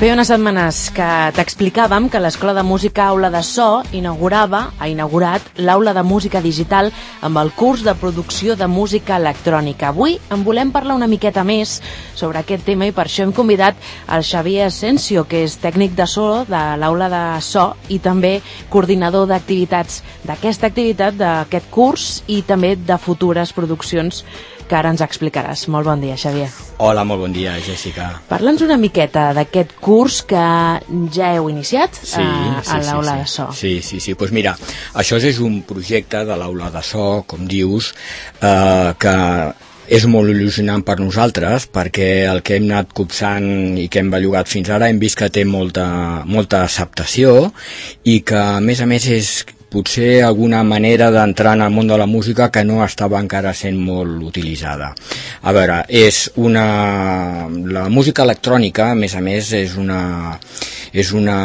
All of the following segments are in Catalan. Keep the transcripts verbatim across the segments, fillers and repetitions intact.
Feia unes setmanes que t'explicàvem que l'Escola de Música Aula de So inaugurava, ha inaugurat l'Aula de Música Digital amb el curs de producció de música electrònica. Avui en volem parlar una miqueta més sobre aquest tema i per això hem convidat el Xavier Asensio, que és tècnic de so de l'Aula de So i també coordinador d'activitats d'aquesta activitat, d'aquest curs i també de futures produccions que ara ens explicaràs. Molt bon dia, Xavier. Hola, molt bon dia, Jessica. Parla'ns una miqueta d'aquest curs que ja heu iniciat sí, a, sí, a l'Aula sí, de So. Sí, sí, sí. Pues mira, això és un projecte de l'Aula de So, com dius, eh, que és molt il·lusionant per nosaltres perquè el que hem anat copsant i que hem bellugat fins ara hem vist que té molta, molta acceptació i que, a més a més, és potser alguna manera d'entrar en el món de la música que no estava encara sent molt utilitzada. A veure, és una... la música electrònica, a més a més, és una, és una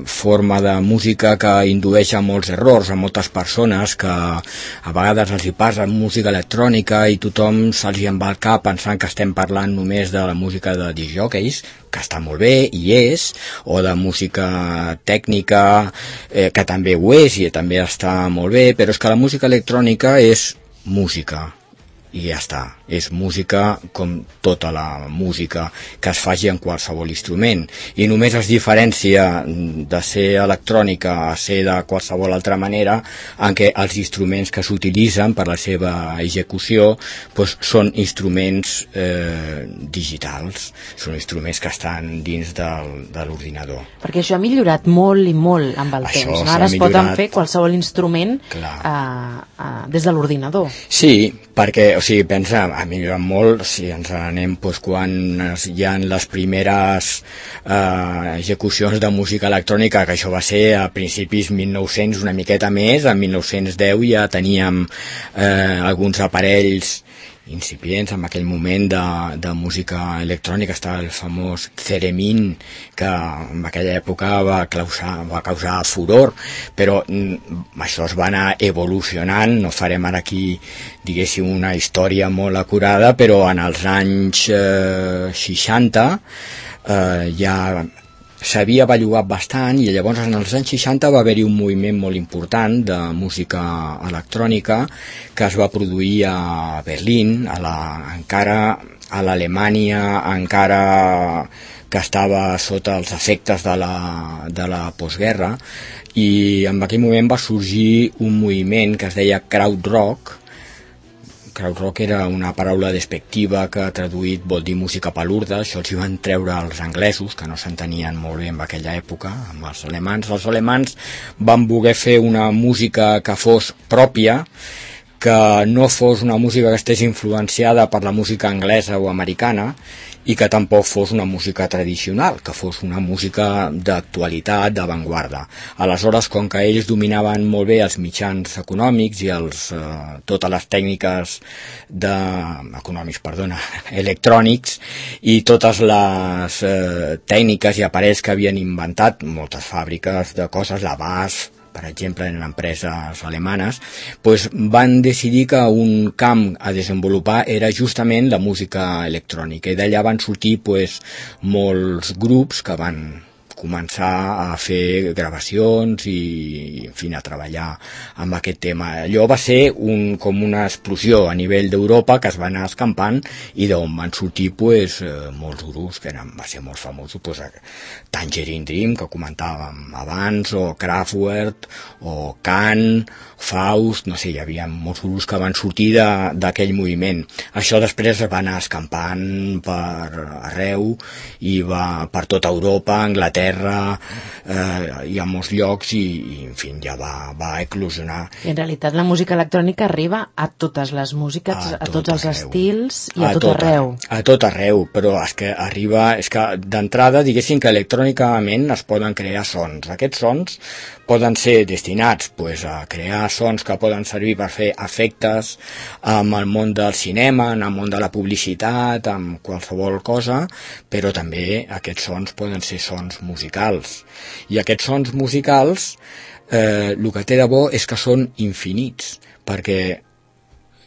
forma de música que indueix a molts errors, a moltes persones que a vegades els hi passa música electrònica i tothom se'ls hi en va al cap pensant que estem parlant només de la música de disc jockeys, que està molt bé, i és, o de música tècnica, eh, que també ho és i també està molt bé, però és que la música electrònica és música, i ja està. És música com tota la música que es faci en qualsevol instrument, i només es diferencia de ser electrònica a ser de qualsevol altra manera en què els instruments que s'utilitzen per la seva execució doncs, són instruments eh, digitals, són instruments que estan dins del, de l'ordinador. Perquè això ha millorat molt i molt amb el això temps, no? Ara es millorat... poden fer qualsevol instrument eh, eh, des de l'ordinador. Sí, perquè, o sigui, pensa, ha millorat molt, si ens anem doncs, quan hi ha les primeres eh, execucions de música electrònica, que això va ser a principis mil nou-cents, una miqueta més, en mil nou-cents deu ja teníem eh, alguns aparells incipients en aquell moment de, de música electrònica. Estava el famós Theremin, que en aquella època va causar, va causar furor, però mm, això es va anar evolucionant. No farem ara aquí, diguéssim, una història molt acurada, però en els anys eh, seixanta eh, ja s'havia bellugat bastant, i llavors en els anys seixanta va haver-hi un moviment molt important de música electrònica que es va produir a Berlín, a la, encara a l'Alemanya encara que estava sota els efectes de la, de la postguerra, i en aquell moment va sorgir un moviment que es deia krautrock. Krautrock era una paraula despectiva que traduït vol dir música palurda. Això els hi van treure els anglesos, que no s'entenien molt bé en aquella època, amb els alemans. Els alemans van voler fer una música que fos pròpia, que no fos una música que estés influenciada per la música anglesa o americana, i que tampoc fos una música tradicional, que fos una música d'actualitat, d'avantguarda. Aleshores, com que ells dominaven molt bé els mitjans econòmics i els, eh, totes les tècniques de, econòmics, perdona, electrònics, i totes les eh, tècniques i aparells que havien inventat moltes fàbriques de coses, la B A S F, per exemple, en empreses alemanes, doncs van decidir que un camp a desenvolupar era justament la música electrònica, i d'allà van sortir doncs, molts grups que van començar a fer gravacions i, en fi, a treballar amb aquest tema. Allò va ser un, com una explosió a nivell d'Europa que es va anar escampant i d'on van sortir pues, molts grups que eren, va ser molt famosos, pues, Tangerine Dream, que comentàvem abans, o Kraftwerk, o Can, Faust, no sé, hi havia molts grups que van sortir d'aquell moviment. Això després es va anar escampant per arreu i va per tota Europa, Anglaterra, eh, i a molts llocs, i, i en fi, ja va, va eclosionar. I en realitat la música electrònica arriba a totes les músiques, a, a tot tots els arreu. Estils i a, a tot, tot arreu. A tot arreu, però és que arriba, és que d'entrada diguéssim que electrònicament es poden crear sons. Aquests sons poden ser destinats pues, a crear sons que poden servir per fer efectes amb el món del cinema, en el món de la publicitat, amb qualsevol cosa, però també aquests sons poden ser sons musicals. I aquests sons musicals, eh, el que té de bo és que són infinits, perquè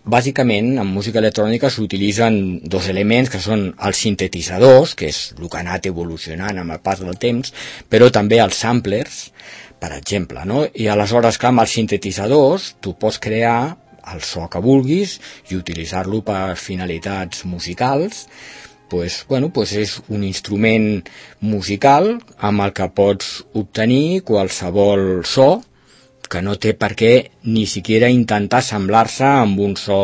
bàsicament, en música electrònica s'utilitzen dos elements que són els sintetitzadors, que és el que ha anat evolucionant amb el pas del temps, però també els samplers, per exemple, no? I aleshores, clar, amb els sintetitzadors tu pots crear el so que vulguis i utilitzar-lo per finalitats musicals. Pues, bueno, pues és un instrument musical amb el que pots obtenir qualsevol so que no té per què ni siquiera intentar semblar-se amb un so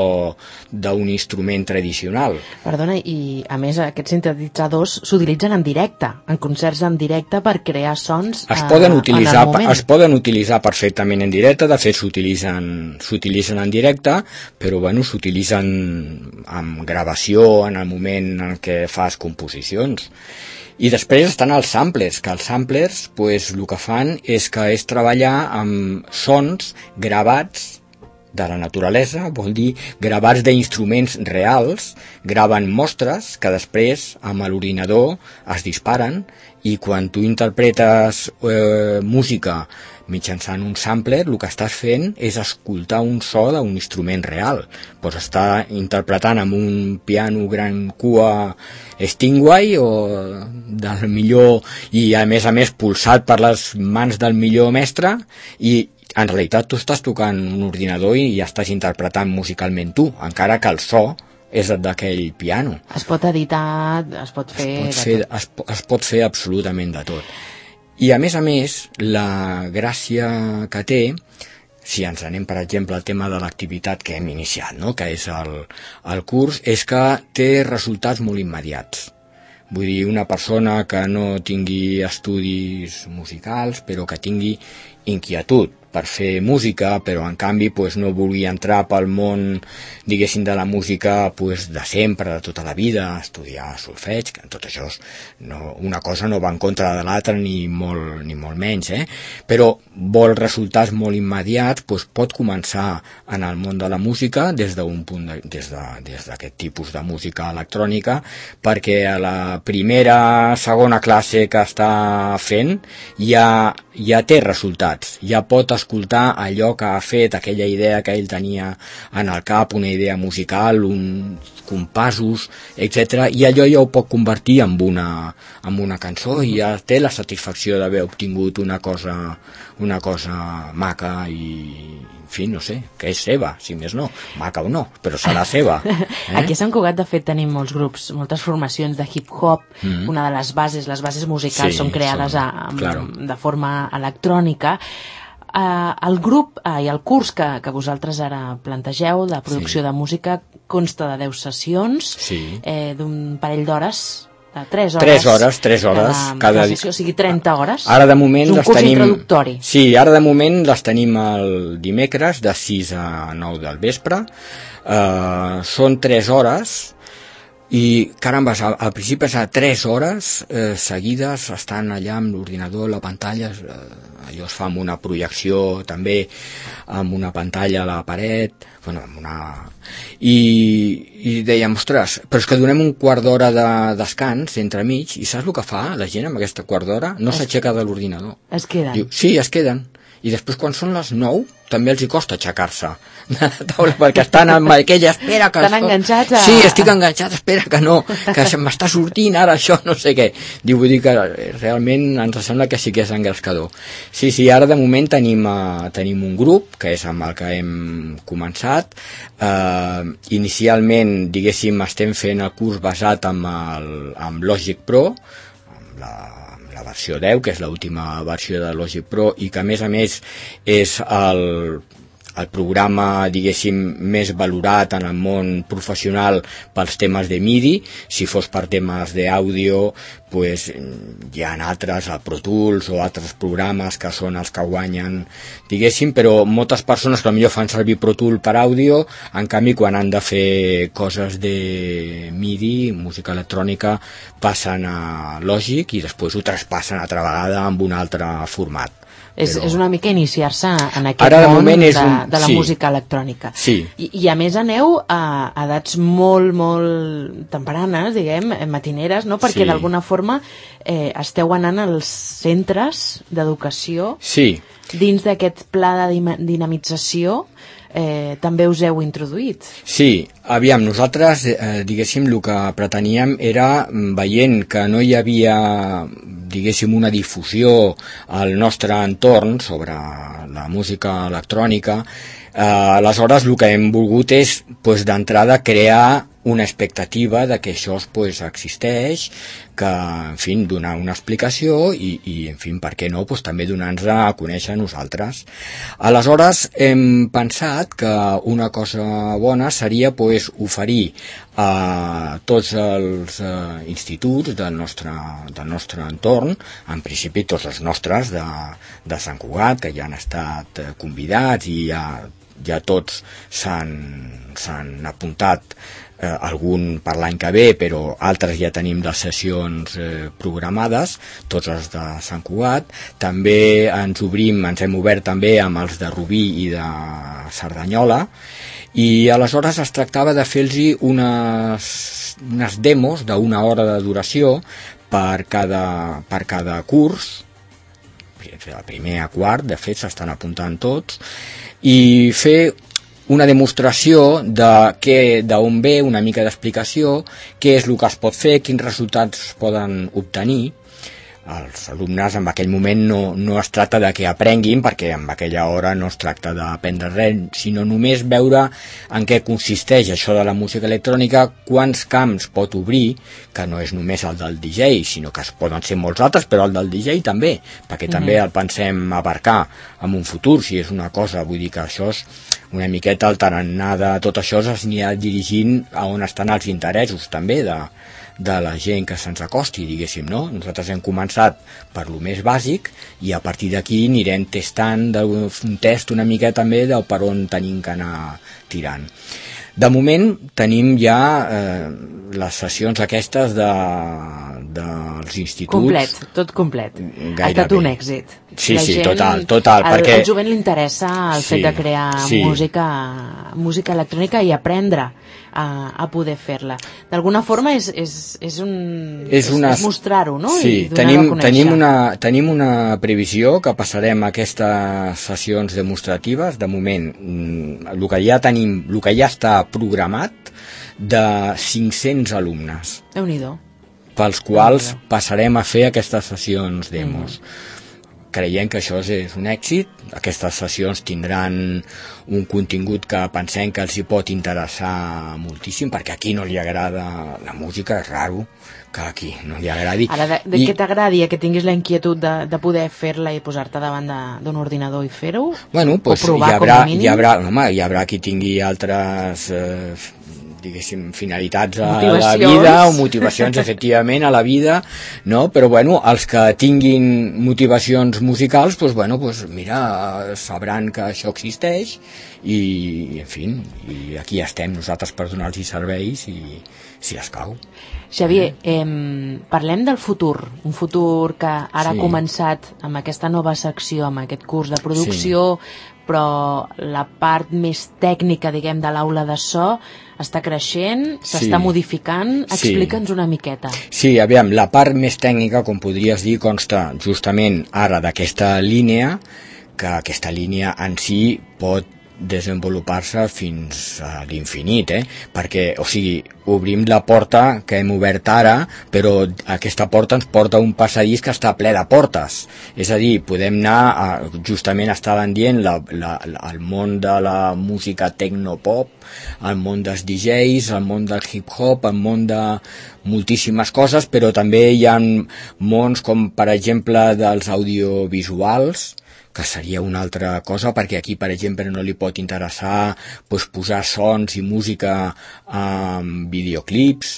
d'un instrument tradicional. Perdona, i a més aquests sintetitzadors s'utilitzen en directe, en concerts en directe per crear sons es poden eh, utilitzar, en el moment. Es poden utilitzar perfectament en directe, de fet s'utilitzen s'utilitzen en directe, però bueno, s'utilitzen amb gravació en el moment en què fas composicions. I després estan els samplers, que els samplers pues, el que fan és que és treballar amb sons gravats de la naturalesa, vol dir gravats d'instruments reals, graven mostres que després amb l'ordinador es disparen i quan tu interpretes eh, música mitjançant un sampler, el que estàs fent és escoltar un so d'un instrument real. Pots estar interpretant amb un piano gran cua Stingway o del millor, i a més a més pulsat per les mans del millor mestre, i en realitat tu estàs tocant un ordinador i ja estàs interpretant musicalment tu, encara que el so és d'aquell piano. Es pot editar, es pot fer... Es pot fer, es, es pot fer absolutament de tot. I a més a més, la gràcia que té, si ens anem per exemple al tema de l'activitat que hem iniciat, no? Que és el, el curs, és que té resultats molt immediats. Vull dir, una persona que no tingui estudis musicals, però que tingui inquietud per fer música, però en canvi pues, no vulgui entrar pel món, diguéssim, de la música pues, de sempre, de tota la vida, estudiar solfeig, que tot això és, no, una cosa no va en contra de l'altra ni molt, ni molt menys, eh? Però vol resultats molt immediats, pues, pot començar en el món de la música des d'un punt de, des de, des d'aquest tipus de música electrònica, perquè a la primera, segona classe que està fent ja, ja té resultats, ja pot escoltar allò que ha fet, aquella idea que ell tenia en el cap, una idea musical, uns compassos, etcètera, i allò ja ho pot convertir en una, en una cançó i ja té la satisfacció d'haver obtingut una cosa, una cosa maca i, en fi, no sé, que és seva, si més no, maca o no, però serà seva. Eh? Aquí a Sant Cugat, de fet, tenim molts grups, moltes formacions de hip-hop, mm-hmm. Una de les bases, les bases musicals sí, són creades són, a, a, claro. de forma electrònica. Uh, el grup uh, i el curs que, que vosaltres ara plantegeu de producció sí. de música consta de deu sessions, sí. eh, d'un parell d'hores, de tres hores. Tres hores, tres hores. Cada, cada cada sessió, o sigui, trenta hores. Ara de moment és un les curs tenim... introductori. Sí, ara de moment les tenim el dimecres de sis a nou del vespre. Uh, són tres hores i, caramba, al principi és a tres hores eh, seguides, estan allà amb l'ordinador, la pantalla, eh, allò es fa amb una projecció també, amb una pantalla a la paret, bueno, amb una... I, i dèiem, ostres, però és que donem un quart d'hora de descans entre mig, i saps el que fa la gent amb aquesta quart d'hora? No s'aixeca de l'ordinador. Es queden? Diu, sí, es queden. I després quan són les nou també els hi costa aixecar-se de la taula perquè estan amb aquella espera que... Estan enganxats a... Sí, estic enganxat, espera que no, que se m'està sortint ara això, no sé què. Diu, vull dir que realment ens sembla que sí que és engrescador. Sí, sí, ara de moment tenim, uh, tenim un grup, que és amb el que hem començat. Uh, inicialment, diguéssim, estem fent el curs basat amb, el, amb Logic Pro, amb la la versió deu, que és l'última versió de Logic Pro i que a més a més és el, el programa, diguéssim, més valorat en el món professional pels temes de MIDI. Si fos per temes d'àudio, pues, hi ha altres, el Pro Tools o altres programes que són els que guanyen, diguéssim, però moltes persones que potser fan servir Pro Tool per àudio, en canvi quan han de fer coses de MIDI, música electrònica, passen a Logic i després ho traspassen altra vegada amb un altre format. És, però... és una mica iniciar-se en aquest Ara, de món moment, de, és un... de la sí. música electrònica. Sí. I, I a més aneu a, a edats molt, molt tempranes, diguem, matineres, no? Perquè sí. d'alguna forma eh, esteu anant als centres d'educació. Sí. dins d'aquest pla de dinamització eh, també us heu introduït. Sí, aviam, nosaltres, eh, diguéssim, el que preteníem era, veient que no hi havia, diguéssim, una difusió al nostre entorn sobre la música electrònica, eh, aleshores el que hem volgut és, pues, d'entrada, crear una expectativa de que això pues, existeix, que, en fi, donar una explicació i, i en fi, per què no, pues, també donar-nos a conèixer a nosaltres. Aleshores, hem pensat que una cosa bona seria pues, oferir a tots els uh, instituts del nostre, del nostre entorn, en principi tots els nostres de, de Sant Cugat, que ja han estat convidats i ja, ja tots s'han, s'han apuntat, Eh, algun per l'any que ve, però altres ja tenim les sessions eh, programades, tots els de Sant Cugat. També ens obrim, ens hem obert també amb els de Rubí i de Cerdanyola, i aleshores es tractava de fer-los unes, unes demos d'una hora de duració per cada, per cada curs, el primer a quart, de fet s'estan apuntant tots, i fer una demostració de què, d'on ve, una mica d'explicació, què és el que es pot fer, quins resultats es poden obtenir. Els alumnes en aquell moment no, no es tracta de que aprenguin, perquè en aquella hora no es tracta d'aprendre res, sinó només veure en què consisteix això de la música electrònica, quants camps pot obrir, que no és només el del D J, sinó que es poden ser molts altres, però el del D J també, perquè mm-hmm. també el pensem abarcar en un futur, si és una cosa, vull dir que això és una miqueta el tarannà de tot això s'anirà dirigint a on estan els interessos també de, de la gent que se'ns acosti, diguéssim, no? Nosaltres hem començat per lo més bàsic i a partir d'aquí anirem testant un test una mica també del per on tenim que anar tirant. De moment tenim ja eh, les sessions aquestes de, dels instituts. Complet, tot complet. Gairebé. Ha estat un èxit. Sí, la sí, gent, total, total. Al, perquè... al jovent li interessa el sí, fet de crear sí. música, música electrònica i aprendre a, a poder fer-la. D'alguna forma és, és, és, un, és, una... és mostrar-ho, no? Sí, I donar-ho tenim, a conèixer. tenim, una, tenim una previsió que passarem aquestes sessions demostratives, de moment, el que ja tenim, el que ja està programat, de cinc-cents alumnes. Déu-n'hi-do. Pels quals passarem a fer aquestes sessions demos. Mm. Creiem que això és un èxit. Aquestes sessions tindran un contingut que pensem que els hi pot interessar moltíssim, perquè aquí no li agrada la música, és raro que aquí no li agradi. Ara, de, de I... que t'agradi, que tinguis la inquietud de, de poder fer-la i posar-te davant d'un ordinador i fer-ho? Bueno, pues, o provar, hi haurà, com a mínim? Hi haurà, home, hi haurà qui tingui altres... Eh, diguéssim, finalitats a la vida o motivacions, efectivament, a la vida, no? Però, bueno, els que tinguin motivacions musicals, doncs, bueno, doncs, mira, sabran que això existeix i, en fi, i aquí estem nosaltres per donar-los serveis i si escau. Xavier, eh, parlem del futur, un futur que ara sí. ha començat amb aquesta nova secció, amb aquest curs de producció, sí. però la part més tècnica, diguem, de l'aula de so està creixent, s'està sí. modificant. Explica'ns sí. una miqueta. Sí, aviam, la part més tècnica, com podries dir, consta justament ara d'aquesta línia, que aquesta línia en si pot desenvolupar-se fins a l'infinit, eh? Perquè, o sigui, obrim la porta que hem obert ara, però aquesta porta ens porta a un passadís que està ple de portes. És a dir, podem anar, a, justament estaven dient, la, la, el món de la música tecnopop, el món dels D Js, el món del hip-hop, el món de moltíssimes coses, però també hi ha mons com, per exemple, dels audiovisuals, que seria una altra cosa, perquè aquí, per exemple, no li pot interessar pues, posar sons i música en videoclips.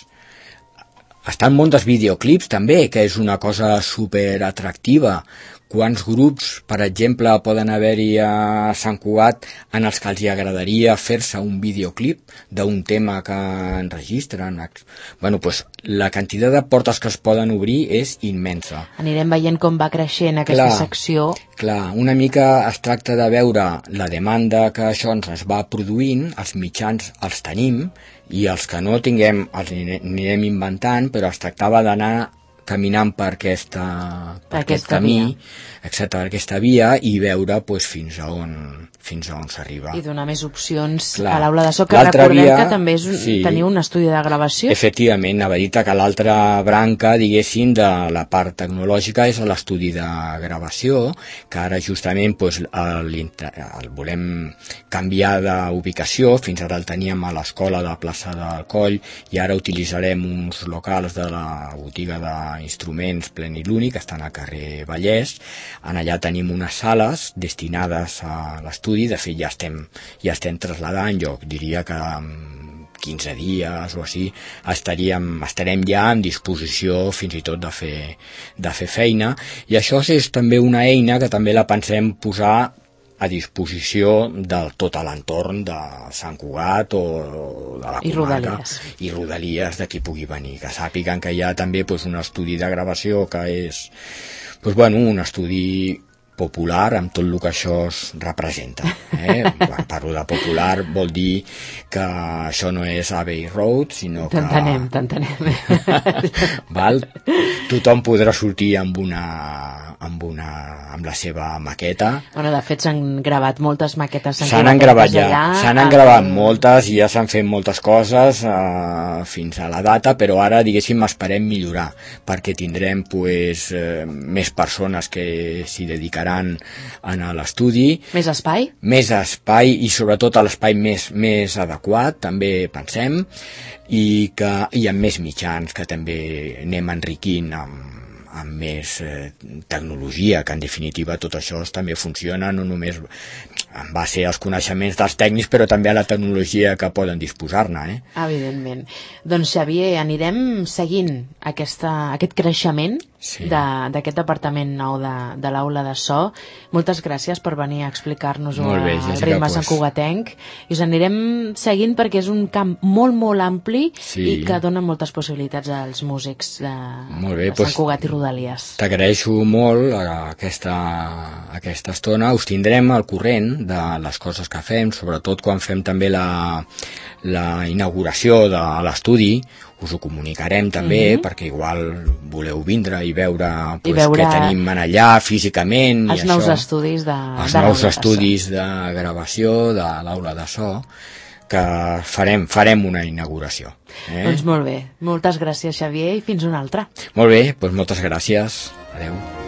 Està el món dels videoclips també, que és una cosa super atractiva. Quants grups, per exemple, poden haver-hi a Sant Cugat en els que els agradaria fer-se un videoclip d'un tema que enregistren? Bueno, pues, la quantitat de portes que es poden obrir és immensa. Anirem veient com va creixent aquesta clar, secció. Clar, una mica es tracta de veure la demanda que això ens es va produint, els mitjans els tenim, i els que no tinguem els anirem inventant, però es tractava d'anar caminant per, aquesta, per aquest aquesta camí, via. exacte, per aquesta via, i veure pues, fins a on fins a on s'arriba. I donar més opcions Clar. a l'aula de so, que L'altra recordem via, que també és un, sí, teniu un estudi de gravació. Efectivament, a veure que l'altra branca, diguéssim, de la part tecnològica és l'estudi de gravació, que ara justament pues, el, el volem canviar d'ubicació. Fins ara el teníem a l'escola de la plaça del Coll i ara utilitzarem uns locals de la botiga d'instruments Pleniluni, que estan al carrer Vallès. En allà tenim unes sales destinades a l'estudi. De fet, ja estem, ja estem trasladant, jo diria que en quinze dies o així estaríem, estarem ja en disposició fins i tot de fer, de fer feina, i això és també una eina que també la pensem posar a disposició de tot l'entorn de Sant Cugat o de la I comarca Rodalies. i Rodalies de qui pugui venir, que sàpiguen que hi ha també pues, un estudi de gravació que és pues, bueno, un estudi popular amb tot el que això es representa. Eh? Quan parlo de popular vol dir que això no és Abbey Road, sinó que... T'entenem, t'entenem. Val? Tothom podrà sortir amb una, amb una amb la seva maqueta. Bueno, de fet s'han gravat moltes maquetes. S'han gravat ja, s'han gravat moltes i ja s'han fet moltes coses eh, fins a la data, però ara, diguéssim, esperem millorar, perquè tindrem pues, eh, més persones que s'hi dedicaran en l'estudi. Més espai? Més espai i sobretot l'espai més, més adequat, també pensem, i, que, i amb més mitjans que també anem enriquint amb, amb més eh, tecnologia, que en definitiva tot això també funciona no només en base als coneixements dels tècnics, però també a la tecnologia que poden disposar-ne. Eh? Evidentment. Doncs Xavier, anirem seguint aquesta, aquest creixement sí. d'aquest departament nou de, de l'aula de so. Moltes gràcies per venir a explicar-nos el ritme pues... santcugatenc, i us anirem seguint perquè és un camp molt, molt ampli sí. i que dona moltes possibilitats als músics de, molt bé, de Sant Cugat pues... i Rodalies. T'agraeixo molt aquesta, aquesta estona. Us tindrem al corrent de les coses que fem, sobretot quan fem també la, la inauguració de l'estudi. Us ho comunicarem també, mm-hmm. perquè igual voleu vindre i veure, pues, I veure... què tenim en allà físicament. Els i nous això. estudis de Els de nous estudis de, de gravació de l'aula de so, que farem, farem una inauguració. Eh? Doncs molt bé. Moltes gràcies, Xavier, i fins una altra. Molt bé, doncs moltes gràcies. Adeu.